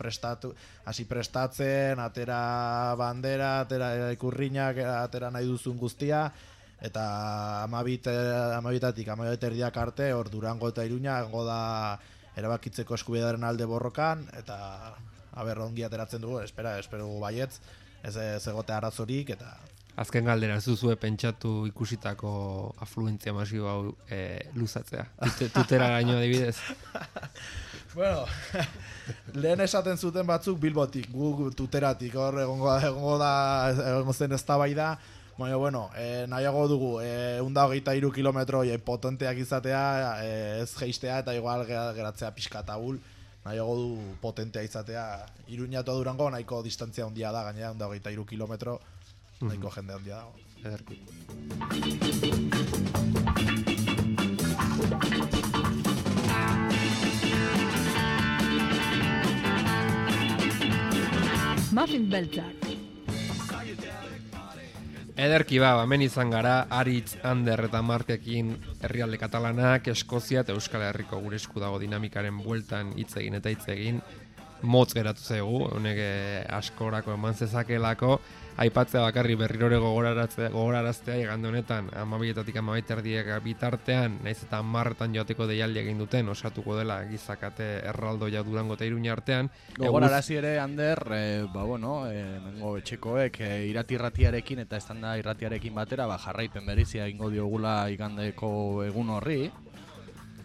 hasi prestatzen, atera bandera, atera ikurriñak, atera nahi duzun guztia, eta 12:00-tik 12:30 arte hor Durango eta Iruña egongo da erabakitzeko eskubidearen alde borrokan, eta ongi ateratzen dugu, espero dugu baietz, ez egote arazorik, eta... Azken galdera, zuzue pentsatu ikusitako afluentzia masibo hau luzatzea, tutera gaino adibidez? Lehen esaten zuten batzuk Bilbotik, gu tuteratik, hor egongo zen eztabaida, nahiago dugu, 123 kilometro potenteak izatea, ez geistea eta igual geratzea pixka eta hul, nahiago du potentea izatea. Iruña eta Durango nahiko distantzia handia da, gainera 123 kilometro, nahiko jende handia dago. Ederki. Muffin beltzak. Ederki hemen izan gara, Aritz, Ander eta Markekin herrialde katalanak, Eskozia eta Euskal Herriko gure esku dago dinamikaren bueltan hitz egin eta hitz egin, motz geratu zaigu, honek askorako eman zezakelako, aipatzea bakarri berrirore gogoraraztea igande honetan, 12-tik 12:30 bitartean, naiz eta 10:00 joateko deialdi egin duten, osatuko dela gizakate erraldoia Durango eta Iruña artean. Gogorarazi ere, Ander, nengo etxekoek irratiarekin eta estanda irratiarekin batera, jarraipen berizia egingo diogula igandeko egun horri.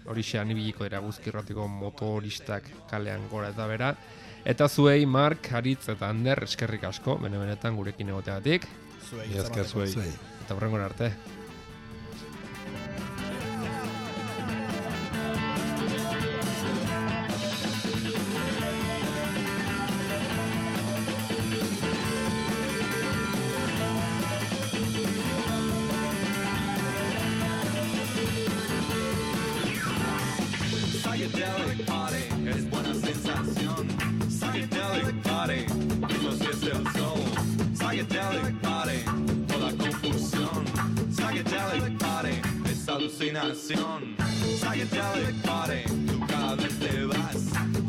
Horixean ibiliko dira guzkirratiko motoristak kalean gora eta bera. Eta zuei, Mark, Aritz eta Ander, eskerrik asko, benetan gurekin egoteagatik. Zuei. Eta hurrengora arte. Psychedelic party es buena sensación. Psychedelic party, eso sí es el soul. Psychedelic party, toda confusión. Psychedelic party, es alucinación. Psychedelic party, tú cada vez te vas.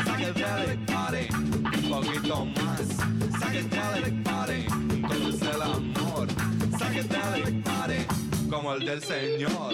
Psychedelic party, un poquito más. Psychedelic party, todo es el amor. Psychedelic party, como el del Señor.